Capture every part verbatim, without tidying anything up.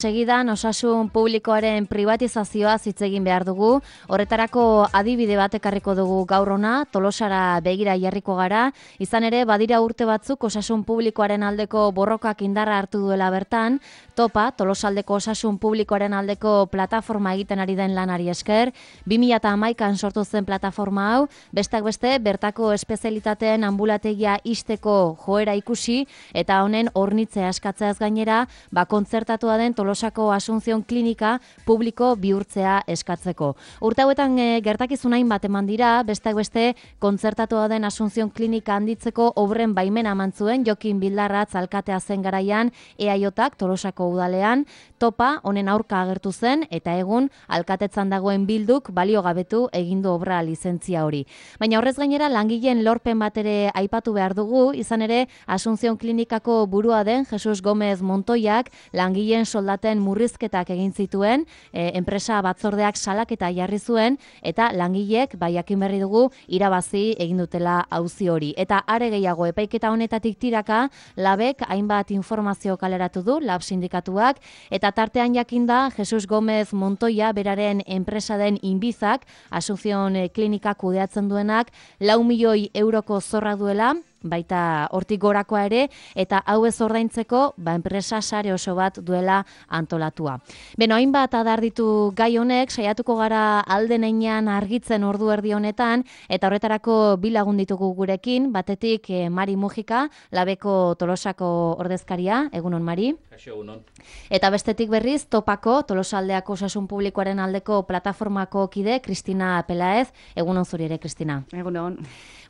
Segidan osasun publikoaren privatizazioa hitz egin behar dugu. Horretarako adibide bat ekarriko dugu gaur hona, Tolosara begira jarriko gara. Izan ere, badira urte batzuk osasun publikoaren aldeko borrokak indarra hartu duela bertan. Topa, Tolosaldeko osasun publikoaren aldeko plataforma egiten ari den lanari esker. bi mila hamaikan sortu zen plataforma hau, bestak beste bertako espezialitateen ambulategia ixteko joera ikusi eta honen hornitzea eskatzeaz gainera, ba kontzertatua den Tolosako Asunción Klinika publiko bihurtzea eskatzeko. Urte hauetan e, gertakizun hainbat eman dira, bestak beste kontzertatua den Asunción Klinika handitzeko obren baimena eman zuen Jokin Bildarratz alkatea zen garaian E A J-ak Tolosako udalean. Topa honen aurka agertu zen eta egun alkatetzan dagoen Bilduk baliogabetu egindu obra lizentzia hori. Baina horrez gainera langileen lorpen bat ere aipatu behar dugu, izan ere Asunción Klinikako burua den Jesus Gomez Montoiak langileen soldaten murrizketak egin zituen, e, enpresa batzordeak salaketa jarri zuen eta langileek bai jakin berri dugu irabazi egin dutela auzi hori. Eta are gehiago epaiketa honetatik tiraka Labek hainbat informazio kaleratu du, Lab sindikatuak, eta tartean jakinda Jesus Gomez Montoia beraren enpresa den Inbizak, Asunción Klinika kudeatzen duenak, lau milioi euroko zorra duela, baita hortik gorakoa ere, eta hau ez ordaintzeko ba, enpresa sare oso bat duela antolatua. Beno, hainbat adar ditu gai honek, saiatuko gara alden heinean argitzen ordu erdi honetan, eta horretarako bi lagun ditugu gurekin, batetik eh, Mari Mujika, Labeko Tolosako ordezkaria, egunon Mari. Kaixo, egunon. Eta bestetik berriz, Topako, Tolosaldeako osasun publikoaren aldeko plataformako kide, Kristina Pelaez, egunon zuri ere, Kristina. Egunon.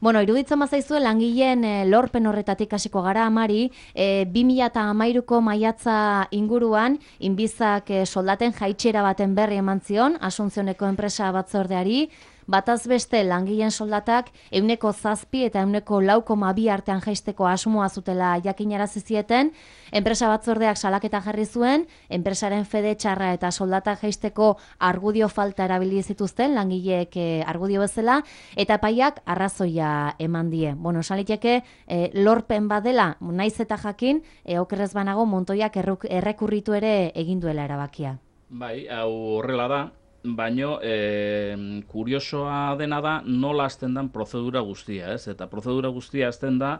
Bueno, iruditzen bazaizue langileen e, lorpen horretatik hasiko gara, Mari, e, bi mila hamairuko maiatza inguruan, Inbizak e, soldaten jaitsera baten berri eman zion, Asuncióneko enpresa batzordeari, bataz beste langileen soldatak ehuneko zazpi eta ehuneko lau koma bi artean jaisteko asmoa zutela jakinarazi zieten, enpresa batzordeak salaketa jarri zuen, enpresaren fede txarra eta soldatak jaisteko argudio falta erabili zituzten langileek e, argudio bezala, eta epaiak arrazoia eman die. Bueno, esan liteke e, lorpen badela, naiz eta jakin, e, okerrez banago Montoiak errekurritu ere egin duela erabakia. Bai, hau horrela da, baino e, kuriosoa dena da nola hasten den prozedura guztia, ez? Eta prozedura guztia hasten da,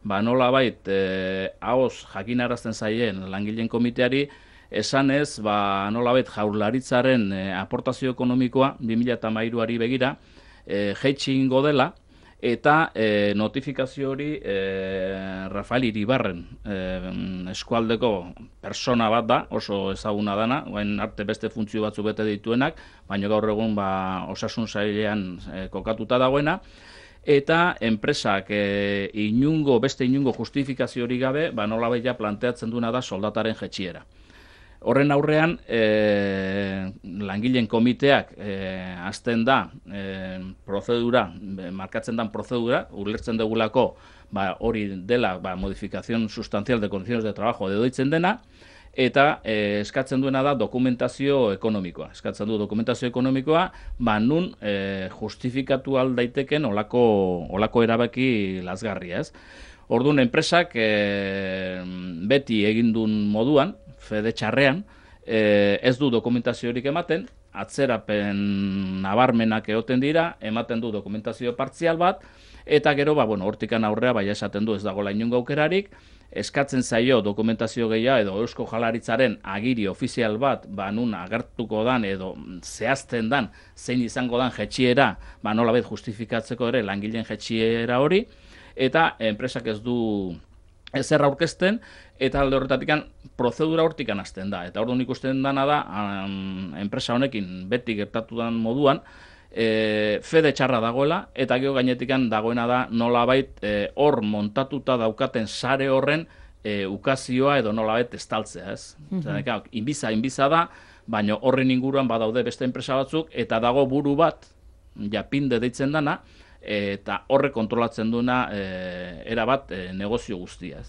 ba nola bait, e, haoz jakinarazten zaien langileen komiteari, esan ez, ba nola bait jaurlaritzaren e, aportazio ekonomikoa bi mila hamairuari begira, e, jaitsi ingo dela, eta e, notifikazio hori e, Rafael Iribarren e, eskualdeko persona bat da, oso ezaguna dana, orain arte beste funtzio batzu bete dituenak, baina gaur egun ba, osasun sailean e, kokatuta dagoena, eta enpresak e, inungo, beste inungo justifikazio hori gabe, ba, nolabait ja planteatzen duena da soldataren jetxiera. Horren aurrean, e, langileen komiteak e, hasten da e, prozedura, e, markatzen dan prozedura, ulertzen dugulako ba, hori dela ba, modificación sustancial de condiciones de trabajo dedoitzen dena, eta e, eskatzen duena da dokumentazio ekonomikoa. Eskatzen du dokumentazio ekonomikoa, ba nun e, justifikatu aldaiteken olako, olako erabaki lazgarria, ez? Orduan, enpresak e, beti egindun moduan, fede txarrean, e, ez du dokumentaziorik ematen, atzerapen nabarmenak egoten dira, ematen du dokumentazio partzial bat, eta gero, ba, bueno, hortikan aurrea, bai esaten du ez dagoela inongo aukerarik, eskatzen zaio dokumentazio gehiago edo Eusko Jaurlaritzaren agiri ofizial bat, ba, nun agertuko dan edo zehazten dan, zein izango dan jetxiera, ba, nolabait justifikatzeko ere langileen jetxiera hori, eta enpresak ez du ezer aurkezten, eta alde horretatik prozedura hortikan hasten da. Eta orduan ikusten dana da, um, enpresa honekin beti gertatu dan moduan, e, fede txarra dagoela, eta gero gainetikan dagoena da nolabait e, hor montatuta daukaten sare horren e, ukazioa edo nolabait estaltzea, ez? Mm-hmm. Inbiza, inbiza da, baina horren inguruan badaude beste enpresa batzuk, eta dago buru bat, japinde deitzen dana, eta horre kontrolatzen duena e, erabat e, negozio guztia.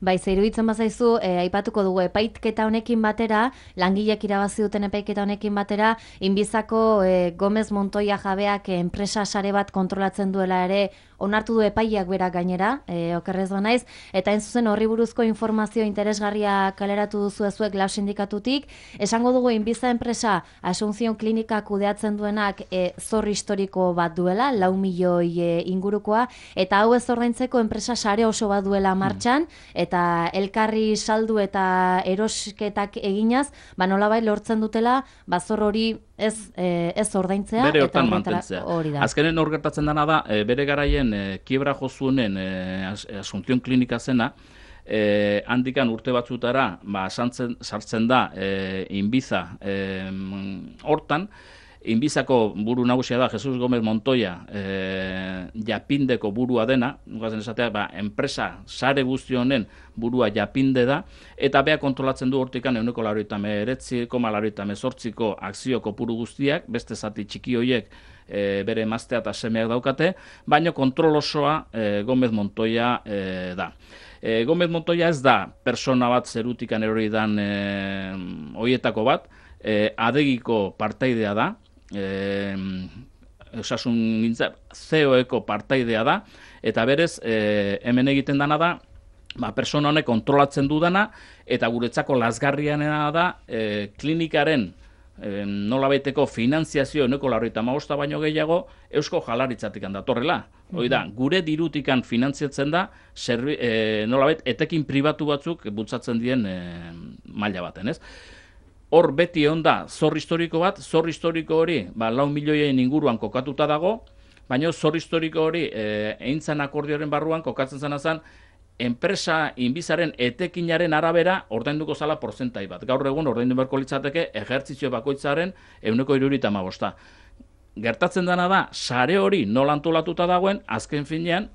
Bai, ze iruditzen bazaizu, e, aipatuko dugu epaitketa honekin batera, langilek irabazi duten epaiketa honekin batera, Inbizako e, Gomez Montoia jabeak e, enpresa sare bat kontrolatzen duela ere onartu du epaileak berak gainera, e, okerrez banaiz, eta hain zuzen horri buruzko informazio interesgarria kaleratu duzu ezuek Lau sindikatutik. Esango dugu Inbiza enpresa Asunción Klinika kudeatzen duenak e, zor historiko bat duela, lau milioi e, ingurukoa, eta hau ez ordaintzeko enpresa sare oso bat duela martxan, eta elkarri saldu eta erosketak eginaz, ba nolabait lortzen dutela, ba zor hori ez, e, ez ordaintzea. Bere eta hortan mantentzea. Azkenen hor gertatzen dena da, e, bere garaien e, kiebra jozuenen e, Asunción Klinika zena, e, handikan urte batzutara ba, sartzen, sartzen da e, Inbiza e, hortan, Inbizako buru nagusia da Jesus Gómez Montoya, e, Japindeko burua dena, nukazen esatea, ba, enpresa sare guzti honen burua Japinde da, eta bea kontrolatzen du hortikan ehuneko laurogeita hemeretzi koma laurogeita hemezortziko akzio kopuru guztiak, beste zati txiki hoiek e, bere emaztea eta semeak daukate, baina kontrol osoa e, Gómez Montoya e, da. E, Gómez Montoya ez da persona bat zerutikan erori dan e, hoietako bat, e, adegiko partaidea da, Eh, osasun gintza C E O-eko partaidea da, eta berez eh, hemen egiten dana da, ba, persona honek kontrolatzen dudana, eta guretzako lazgarrianena da eh, klinikaren eh, nolabaiteko finanziazio ehuneko laurogeita hamabosta baino gehiago Eusko Jaurlaritzatik datorrela. Hoi da, gure dirutikan finantziatzen da serbi, eh, nolabait etekin pribatu batzuk bultzatzen dien eh, maila baten, ez? Hor beti egon da zor historiko bat, zor historiko hori ba, lau milioien inguruan kokatuta dago, baina zor historiko hori e, eintzan akordioaren barruan kokatzen zena zen, enpresa Inbizaren etekinaren arabera ordainduko zala porzentai bat. Gaur egun ordaindu beharko litzateke ejertzizio bakoitzaren ehuneko hirurogeita hamabosta. Gertatzen dena da, sare hori nola antolatuta dagoen, azken finean,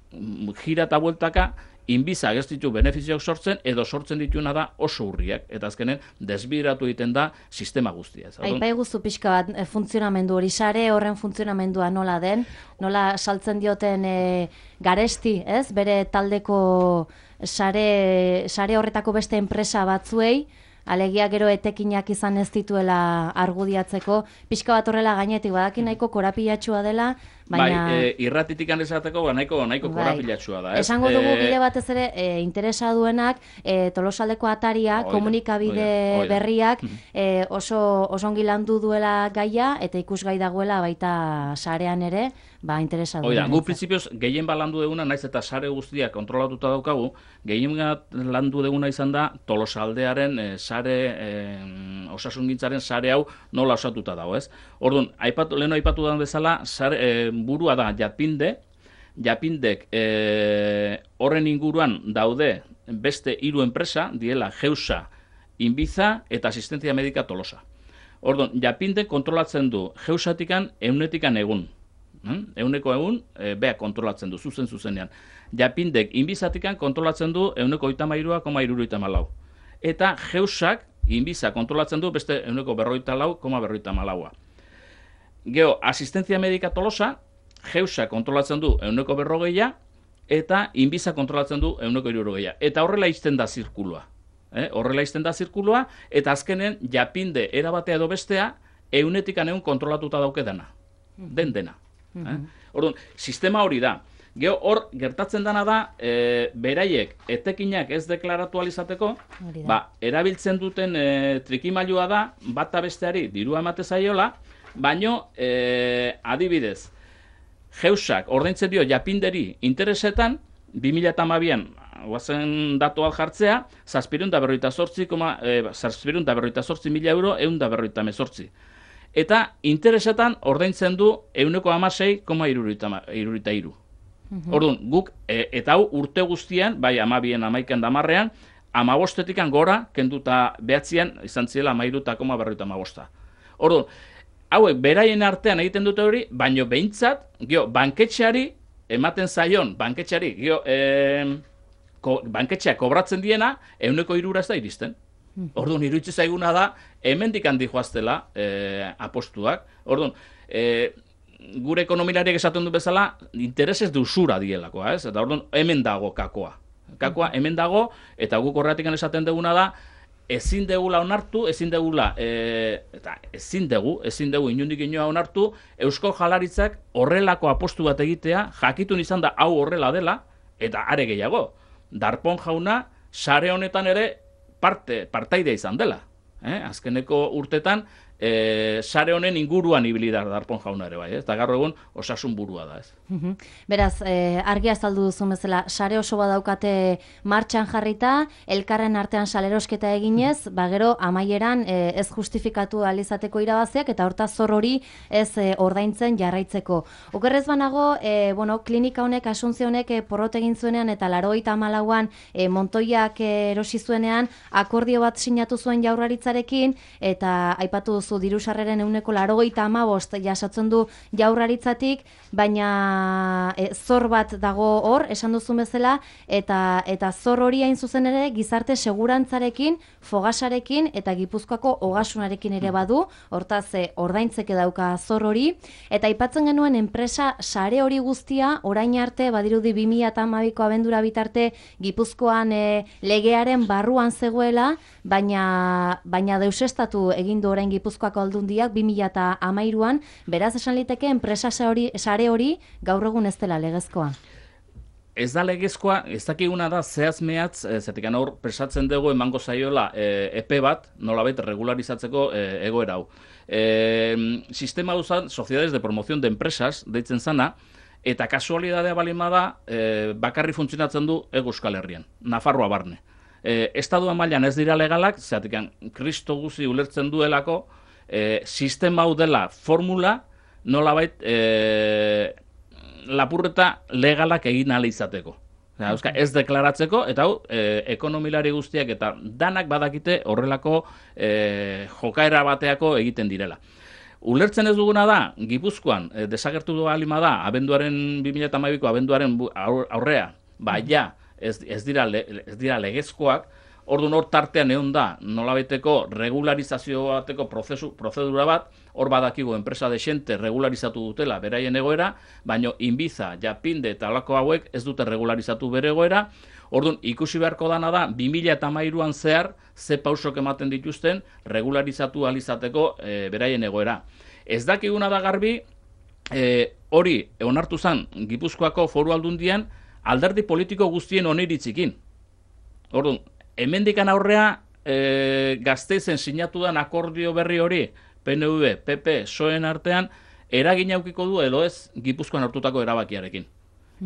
jira eta bueltaka, Inbiza ez ditu benefizioak sortzen, edo sortzen dituna da oso urriak. Eta azkenen, desbideratu egiten da sistema guztia. Aipai guztu pixka bat e, funtzionamendu hori, sare horren funtzionamendua nola den, nola saltzen dioten e, garesti, ez? Bere taldeko sare, sare horretako beste enpresa batzuei, alegia gero etekinak izan ez dituela argudiatzeko, pixka bat horrela gainetik, badaki nahiko korapilatxua dela, baina... Bai, e, irratitik esateko ba, nahiko, nahiko bai. Korapilatxua da. Ez? Esango dugu e... bide batez ere, e, interesa duenak, e, Tolosaldeko ataria, oida, komunikabide oida, oida. berriak, e, oso osongi landu duela gaia, eta ikusgai dagoela baita sarean ere, ba, interesa duena. Oida, gu prinsipioz, gehien bat landu deguna, naiz eta sare guztiak kontrolatuta daukagu, gehien bat landu deguna izan da Tolosaldearen e, sare, e, osasungintzaren sare hau nola osatuta dago, ez? Orduan, aipatu, leheno aipatu da bezala, sare, e, burua da Japinde, Japindek e, horren inguruan daude beste hiru enpresa, diela Geusa, Inbiza eta Asistentzia Medika Tolosa. Orduan, Japinde kontrolatzen du Geusatikan eunetikan egun. Hmm? Euneko egun, e, beha kontrolatzen du, zuzen zuzenean. Japindek Inbizatikan kontrolatzen du euneko oita mairua, koma iruroita malau. Eta Geusak, Inbiza kontrolatzen du beste euneko berroita lau, koma berroita malaua. Geo, Asistentzia Medika Tolosa, Geusa kontrolatzen du euneko berrogeia, eta Inbiza kontrolatzen du euneko hirurogeia. Eta horrela izten da zirkulua. Eh? Horrela izten da zirkulua, eta azkenen Japinde erabatea edo bestea, eunetikan egun kontrolatuta dauke dena. Den dena. Eh? Orduan, sistema hori da. Geo, hor, gertatzen dena da, e, beraiek etekinak ez deklaratu alizateko, ba, erabiltzen duten e, trikimailua da, bata besteari dirua emate zaiola, baino, e, adibidez, Geusak ordaintzen dio Japinderi interesetan, bi mila hamabian guazen datu al jartzea, zazpireun da berroita zortzi, zazpireun da berroita zortzi mila euro, eun da berroita mezortzi. Eta interesetan ordaintzen du euneko hamasei, koma irurogeita hiru. Orduan, guk, e, eta hau urte guztian, bai amabien amaikan damarrean, amabostetikan gora, kenduta behatzean, izan ziela amairu eta koma berroita amabosta. Orduan, hauek beraien artean egiten dute hori, baino behintzat, gio, banketxeari, ematen zaion, banketxeari, gio, e, ko, banketxea kobratzen diena, euneko irura ez da iristen. Orduan, iruitzi zaiguna da, hemendik handi joaztela e, apostuak. Orduan, e, gure ekonomilariak esaten du bezala, interesez de usura dielakoa, ez? Eta orduan, hemen dago kakoa. Kakoa hemen dago, eta guk horretik esaten duguna da, ezin degula onartu, ezin degula, e, eta ezin dugu, ezin dugu inundik inoa onartu, Eusko Jaurlaritzak horrelako apostu bat egitea, jakitun izan da hau horrela dela, eta are gehiago. Darpón jauna, sare honetan ere parte, partaidea izan dela. Eh? Azkeneko urtetan, e, sare honen inguruan ibili da Darpón jauna ere bai, ez? Eta gaur egun osasun burua da, ez? Beraz, eh, argi azaldu duzu bezala, sare oso badaukate martxan jarrita, elkarren artean salerosketa eginez, ba gero amaieran eh, ez justifikatu alizateko irabaziak eta horta zor hori ez eh, ordaintzen jarraitzeko. Okerrez banago, eh, bueno, klinika honek, Asunzio honek eh, porrot egin zuenean eta laurogeita hamalauan eh, Montoiak eh, erosi zuenean akordio bat sinatu zuen Jaurlaritzarekin eta aipatu duzu diru sarreren ehuneko laurogeita hamabost jasotzen du Jaurlaritzatik, baina E, zor bat dago hor, esan duzun bezala, eta eta zor hori hain zuzen ere gizarte segurantzarekin, fogasarekin eta Gipuzkoako ogasunarekin ere badu, hortaz e, ordaintzeke dauka zor hori, eta aipatzen genuen enpresa sare hori guztia, orain arte, badirudi bi mila hamabiko abendura bitarte Gipuzkoan e, legearen barruan zegoela, baina, baina deusestatu egin du orain Gipuzkoako aldundiak bi mila hamairuan, beraz esan liteke enpresa sare hori gaur egun ez dela legezkoa. Ez da legezkoa, ez dakiguna da zehaz mehatz, zetik hor presatzen dugu emango zaiola e, epe bat, nolabait regularizatzeko e, egoera hau. E, sistema duzan, Sociedades de Promoción de Empresas, deitzen zana, eta kasualidadea balima da, e, bakarri funtzionatzen du Hego Euskal Herrian, Nafarroa barne. E, Estadua mailan ez dira legalak, zetik kristo guzi ulertzen duelako, e, sistema hau dela formula, nolabait e, lapurreta legalak egin ahal izateko. Euska, ez deklaratzeko, eta hau, e, ekonomilari guztiak eta danak badakite horrelako e, jokaera bateako egiten direla. Ulertzen ez duguna da, Gipuzkoan, e, desagertu du alima da, abenduaren bi mila hamabiko abenduaren aurrea, ba, ja, ez, ez, dira, ez dira legezkoak, orduan hor tartean egon da, nolabaiteko regularizazio bateko prozesu, prozedura bat, hor badakigu enpresa desente regularizatu dutela beraien egoera, baino Inbiza, Japinde eta alako hauek ez dute regularizatu bere egoera, orduan ikusi beharko dana da, bi mila hamairuan zehar, ze pausok ematen dituzten regularizatu alizateko e, beraien egoera. Ez dakiguna da garbi, e, hori onartu zen Gipuzkoako Foru Aldundian, alderdi politiko guztien oniritzikin. Orduan, hemendikan aurrea e, Gasteizen sinatu den akordio berri hori, P N V, P P, P S O E-en artean, eragin aukiko du edo ez Gipuzkoan hartutako erabakiarekin.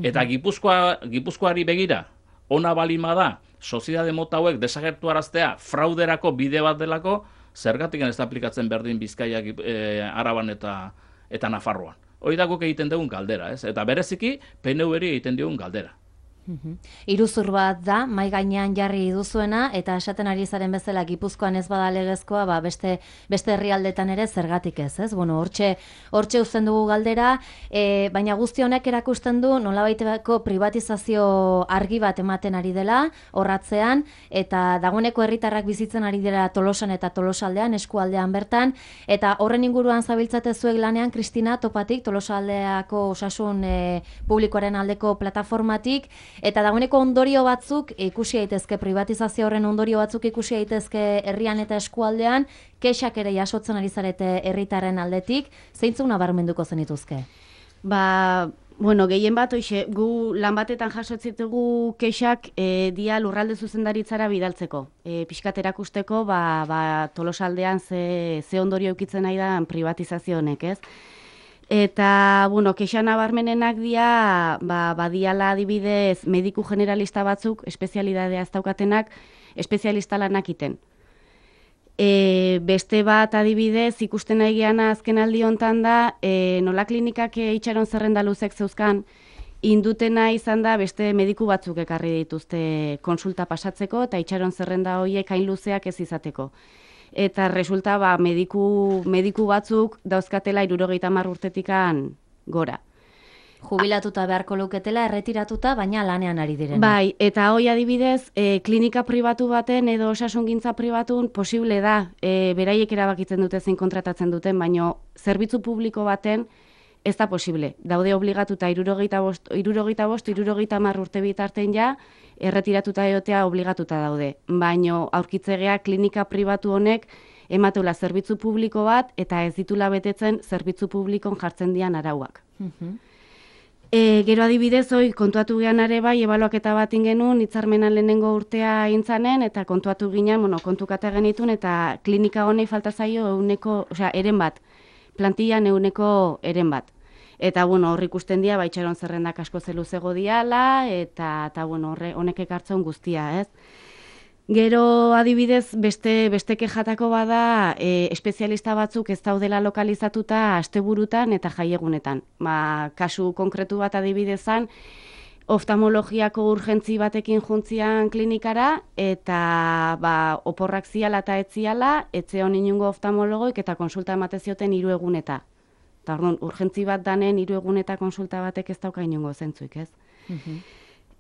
Eta Gipuzkoa, Gipuzkoari begira, ona balima da, soziedade mota hauek desagertu araztea frauderako bide bat delako, zergatik ez da aplikatzen berdin Bizkaia, e, Araban eta, eta Nafarroan. Hori da guk egiten dugun galdera, ez? Eta bereziki P N V-eri egiten dugun galdera. Iruzur bat da, mai gainean jarri duzuena, eta esaten ari zaren bezala Gipuzkoan ez bada legezkoa, ba beste, beste herrialdetan ere zergatik ez, ez? Bueno, hortxe, hortxe uzten dugu galdera, e, baina guzti honek erakusten du nolabaiteko privatizazio argi bat ematen ari dela, horratzean, eta dagoeneko herritarrak bizitzen ari dela Tolosan eta Tolosaldean, eskualdean bertan, eta horren inguruan zabiltzate zuek lanean, Kristina, topatik, Tolosaldeako osasun e, publikoaren aldeko plataformatik, eta dagoeneko ondorio batzuk ikusi daitezke, privatizazio horren ondorio batzuk ikusi daitezke herrian eta eskualdean, kexak ere jasotzen ari zarete herritarren aldetik, zeintzuk nabarmenduko zenituzke? Ba, bueno, gehien bat, oixe, gu lan batetan jasotzitugu kexak e, dia lurralde zuzendaritzara bidaltzeko. E, pixkat erakusteko, ba, ba, Tolosaldean ze, ze ondorio eukitzen nahi da privatizazio honek, ez? Eta, bueno, kexa nabarmenenak dia, ba, badiala adibidez mediku generalista batzuk, espezialidadea ez daukatenak, espezialista lanak iten. E, beste bat adibidez, ikusten nahi geana azken aldi hontan da, e, nola klinikak itxaron zerrenda luzek zeuzkan, indutena izan da beste mediku batzuk ekarri dituzte konsulta pasatzeko, eta itxaron zerrenda horiek hain luzeak ez izateko. Eta resulta ba, mediku, mediku batzuk dauzkatela hirurogeita hamar urtetikan gora. Jubilatuta beharko luketela, erretiratuta, baina lanean ari direna. Bai, eta hoi adibidez, e, klinika pribatu baten edo osasungintza pribatun posible da, e, beraiek erabakitzen dute zein kontratatzen duten, baino zerbitzu publiko baten ez da posible. Daude obligatuta irurogeita bost, irurogeita bost, irurogeita hamar urte bitarten ja, erretiratuta egotea obligatuta daude. Baino aurkitzegea klinika pribatu honek emateula zerbitzu publiko bat eta ez ditula betetzen zerbitzu publikon jartzen dian arauak. E, gero adibidez, hoi, kontuatu gehan are bai, ebaluaketa bat ingenuen, hitzarmenan lehenengo urtea intzanen, eta kontuatu ginen, bueno, kontukata genitun, eta klinika honei falta zaio euneko, osea, eren bat, plantillan euneko eren bat. Eta, bueno, horri ikusten dia, ba, itxaron zerrendak asko zeluzego diala, eta, eta bueno, horre, honek ekartzen guztia, ez? Gero adibidez, beste, beste kejatako bada, e, espezialista batzuk ez daudela lokalizatuta asteburutan eta jaiegunetan. Ba, kasu konkretu bat adibidezan, oftalmologiako urgentzi batekin juntzian klinikara, eta ba, oporrak ziala eta etziala, etze hon inungo oftalmologoik eta konsulta emate zioten hiru eguneta. Eta orduan, urgentzi bat danen hiru eguneta konsulta batek ez dauka inungo zentzuik, ez?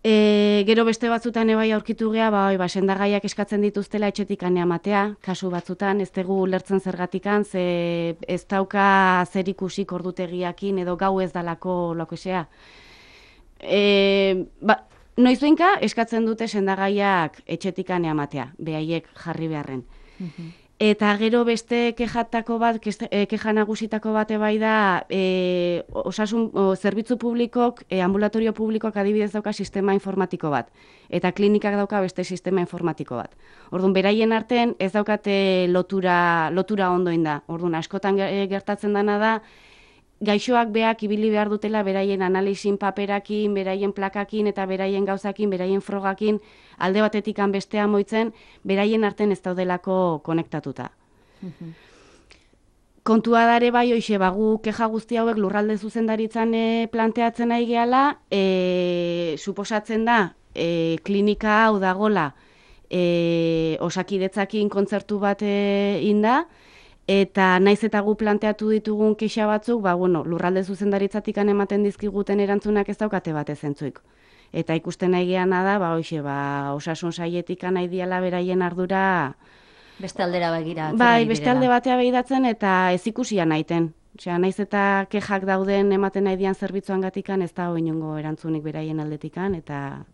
E, gero beste batzutan ebai aurkitu gea, ba, ba, sendagaiak eskatzen dituztela etxetik amatea, kasu batzutan, ez dugu lertzen zergatikan, ze ez dauka zer ikusik ordutegiakin edo gau ez dalako lokesea. E, ba, noizuinka eskatzen dute sendagaiak etxetik amatea, behaiek jarri beharren. Eta gero beste kejatako bat, keja nagusitako bate bai da, e, osasun, o, zerbitzu publikok, e, ambulatorio publikoak adibidez dauka sistema informatiko bat. Eta klinikak dauka beste sistema informatiko bat. Orduan, beraien artean ez daukate lotura, lotura ondoin da. Orduan, askotan gertatzen dana da, gaixoak beak ibili behar dutela beraien analizin paperakin, beraien plakakin eta beraien gauzakin, beraien frogakin, alde batetik bestea moitzen, beraien artean ez daudelako konektatuta. Kontua dare bai, hoxe, bagu keja guzti hauek lurralde zuzendaritzan e, planteatzen nahi gehala, e, suposatzen da, e, klinika hau dagola, e, osakidetzakin kontzertu bat e, inda, eta naiz eta gu planteatu ditugun kexa batzuk, ba, bueno, lurralde zuzendaritzatik ematen dizkiguten erantzunak ez daukate bat ezentzuik. Eta ikusten nahi geana da, ba, hoxe, ba, osasun saietik nahi diala beraien ardura. Beste aldera begira. Bai, beste alde batea begiratzen eta ez ikusia nahiten. Osea, naiz eta kejak dauden ematen nahi dian zerbitzuan gatikan, ez da inongo erantzunik beraien aldetikan, eta...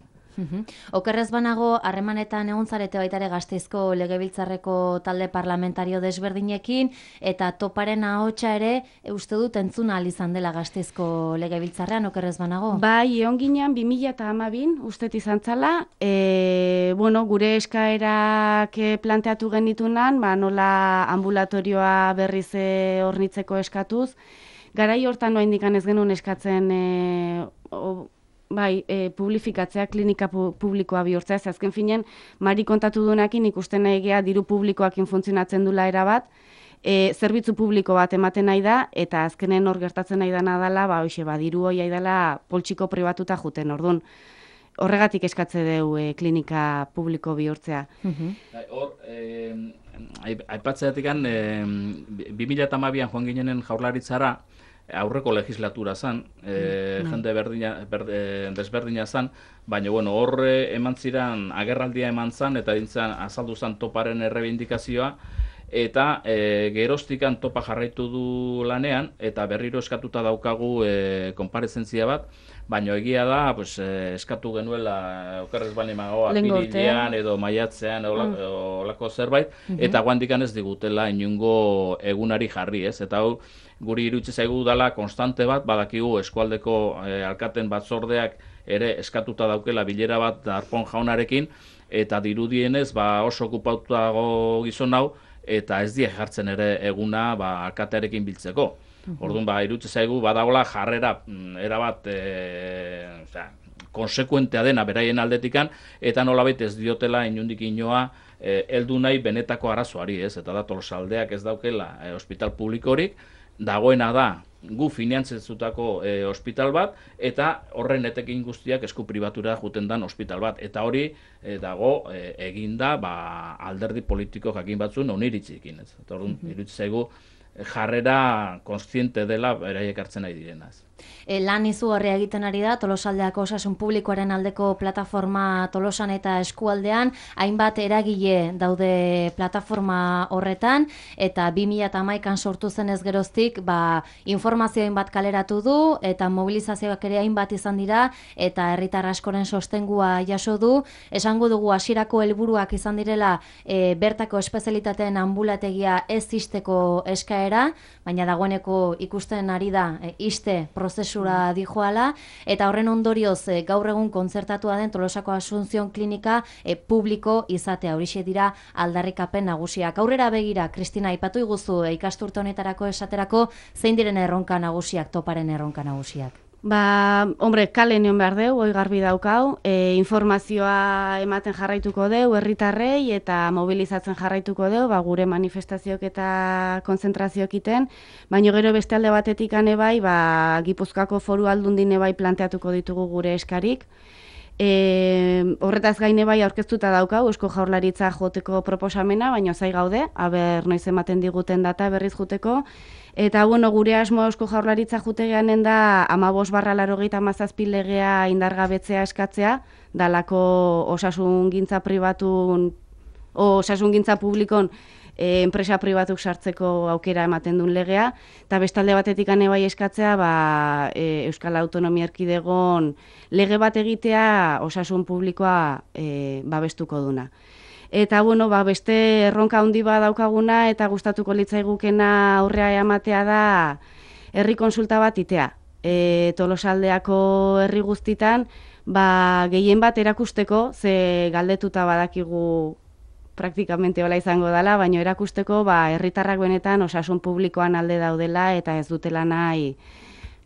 Okerrez banago, harremanetan egon zarete baitare Gasteizko Legebiltzarreko talde parlamentario desberdinekin, eta toparen ahotsa ere, e, uste dut entzuna ahal izan dela Gasteizko Legebiltzarrean, okerrez banago? Bai, egon ginean bi mila hamabin, ustet izan zala, e, bueno, gure eskaerak planteatu genitunan, ba, nola ambulatorioa berriz hornitzeko eskatuz, garai hortan noa indikan ez genuen eskatzen e, o, Bai, e, publifikatzea, klinika pu publikoa bihurtzea, ez azken finen, Mari kontatu duenakin ikusten egea diru publikoakin funtzionatzen dula erabat, e, zerbitzu publiko bat ematen nahi da, eta azkenen hor gertatzen nahi dana dela, ba, hoxe, ba, diru hoi dela poltsiko pribatuta juten, orduan. Horregatik eskatze deu e, klinika publiko bihurtzea. Hor, eh, aipatzeatikan, eh, bi mila hamabian joan ginenen Jaurlaritzara, aurreko legislatura zan, e, mm. jende berdina, berde, desberdina zan, baina bueno, horre eman ziren agerraldia eman zan, eta dintzen azaldu zan toparen errebindikazioa, eta e, geroztikan topa jarraitu du lanean, eta berriro eskatuta daukagu e, konparezentzia bat, baina egia da, pues, e, eskatu genuela okerrez bali magoa, pirilean edo maiatzean olako mm. zerbait, mm-hmm. eta guandikan ez digutela inungo egunari jarri, ez? Eta hau, guri irutze zaigu dela konstante bat, badakigu eskualdeko e, alkaten batzordeak ere eskatuta daukela bilera bat Darpón jaunarekin, eta dirudienez ba, oso okupatutago gizon hau, eta ez die jartzen ere eguna ba, alkatearekin biltzeko. Orduan, ba, irutze zaigu badagola jarrera erabat e, osea, konsekuentea dena beraien aldetikan, eta nolabait ez diotela inundik inoa e, heldu nahi benetako arazoari, ez? Eta da Tolosaldeak ez daukela e, ospital publikorik, dagoena da gu finantzatutako e, ospital bat, eta horren etekin guztiak esku pribatura juten dan ospital bat. Eta hori e, dago e, eginda ba, alderdi politiko jakin batzun oniritzikin. Eta hori mm-hmm. iruditzen zaigu jarrera kontziente dela beraiek hartzen nahi direnaz. E, lan izugarria egiten ari da, Tolosaldeako osasun publikoaren aldeko plataforma Tolosan eta eskualdean, hainbat eragile daude plataforma horretan, eta bi mila hamaikan sortu zenez geroztik, ba, informazio hainbat kaleratu du, eta mobilizazioak ere hainbat izan dira, eta herritar askoren sostengua jaso du. Esango dugu hasierako helburuak izan direla e, bertako espezialitateen ambulategia ez isteko eskaera, baina dagoeneko ikusten ari da e, iste prozesura dijoala, eta horren ondorioz e, gaur egun kontzertatua den Tolosako Asunción Klinika e, publiko izatea. Horixe dira aldarrikapen nagusiak. Aurrera begira, Kristina, aipatu iguzu e, ikasturte honetarako esaterako zein diren erronka nagusiak, toparen erronka nagusiak? Ba, hombre, kale nion behar deu, hoi garbi daukau, e, informazioa ematen jarraituko deu, herritarrei eta mobilizatzen jarraituko deu, ba, gure manifestazioak eta konzentrazioak iten, baina gero beste alde batetik ane bai, ba, Gipuzkoako Foru Aldundine bai planteatuko ditugu gure eskarik. E, horretaz gaine bai aurkeztuta daukau, Eusko Jaurlaritza joteko proposamena, baina zai gaude, aber noiz ematen diguten data berriz juteko. Eta bueno, gure asmo Eusko Jaurlaritza jutegeanen da hamabost barra laurogeita hamazazpi legea indargabetzea eskatzea, dalako osasungintza pribatun, osasungintza publikon e, enpresa pribatuk sartzeko aukera ematen duen legea, eta bestalde batetik ane bai eskatzea ba, e, Euskal Autonomia Erkidegon lege bat egitea osasun publikoa e, babestuko duna. Eta bueno, ba, beste erronka handi bat daukaguna eta gustatuko litzaigukena aurrea ematea da herri konsulta bat itea. E, Tolosaldeako herri guztitan ba, gehien bat erakusteko, ze galdetuta badakigu praktikamente hola izango dela, baina erakusteko ba, herritarrak benetan osasun publikoan alde daudela eta ez dutela nahi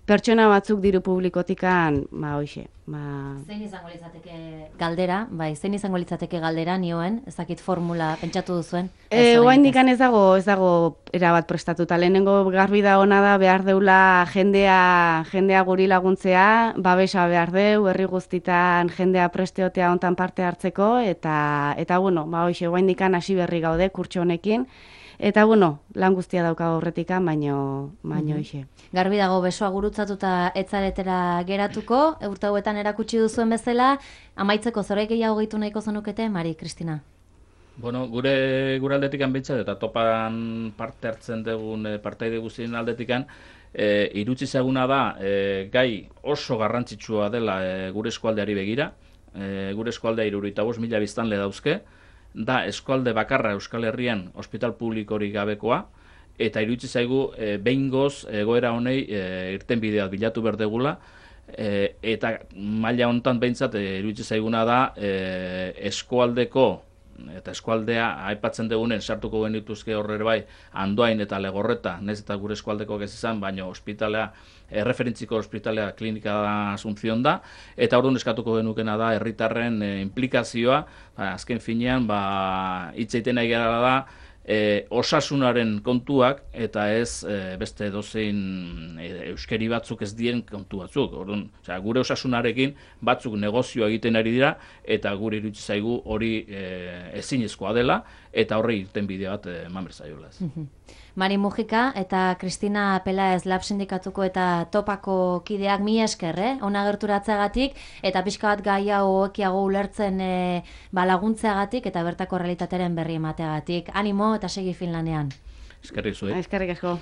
pertsona batzuk diru publikotikan, ba, hoxe. Ba... Zein izango litzateke galdera, bai, zein izango litzateke galdera nioen, ez dakit formula pentsatu duzuen? E, Oaindikan ez dago, ez dago erabat prestatuta. Lehenengo garbi da ona da behar deula jendea, jendea guri laguntzea, babesa behar deu, herri guztitan jendea presteotea hontan parte hartzeko, eta, eta bueno, ba, hoxe, oaindikan hasi berri gaude kurtso honekin. Eta, bueno, lan guztia dauka horretikan, baino, baino hoxe. Garbi dago, besoa gurutzatuta etzaretera geratuko, urte hauetan erakutsi duzuen bezala, amaitzeko zoraik gehiago gehitu nahiko zenukete, Mari, Kristina? Bueno, gure gure aldetikan bintzat, eta topan parte hartzen dugun e, partaide guztien aldetikan, e, irutzi zaguna da, e, gai oso garrantzitsua dela e, gure eskualdeari begira, e, gure eskualdea hirurogeita bost mila biztanle dauzke, da eskualde bakarra Euskal Herrian ospital publikorik gabekoa, eta iruditzen zaigu e, behingoz egoera honei e, irtenbideak bilatu berdegula, e, eta maila hontan behintzat e, iruditzen zaiguna da e, eskualdeko eta eskualdea aipatzen dugunen sartuko genituzke horre bai Andoain eta Legorreta, nez eta gure eskualdeko ez izan, baina ospitalea, erreferentziko ospitalea klinika da Asunción da, eta orduan eskatuko genukena da herritarren e, implikazioa, ba, azken finean, ba, hitz egiten nahi gara da, E, osasunaren kontuak eta ez e, beste dozein e, euskeri batzuk ez dien kontu batzuk. Orduan, osea, gure osasunarekin batzuk negozioa egiten ari dira eta gure iruditzen zaigu hori e, ezinezkoa dela eta horri irtenbide bat eman behar zaiola. Mari Mujika eta Kristina Pelaez Lab Sindikatuko eta Topako kideak mi esker, eh? Ona gerturatzeagatik eta pixka bat gai hau ekiago ulertzen e, ba, laguntzeagatik eta bertako realitatearen berri emateagatik. Animo eta segi Finlandean. Eskerrik zuek. Eskerrik asko.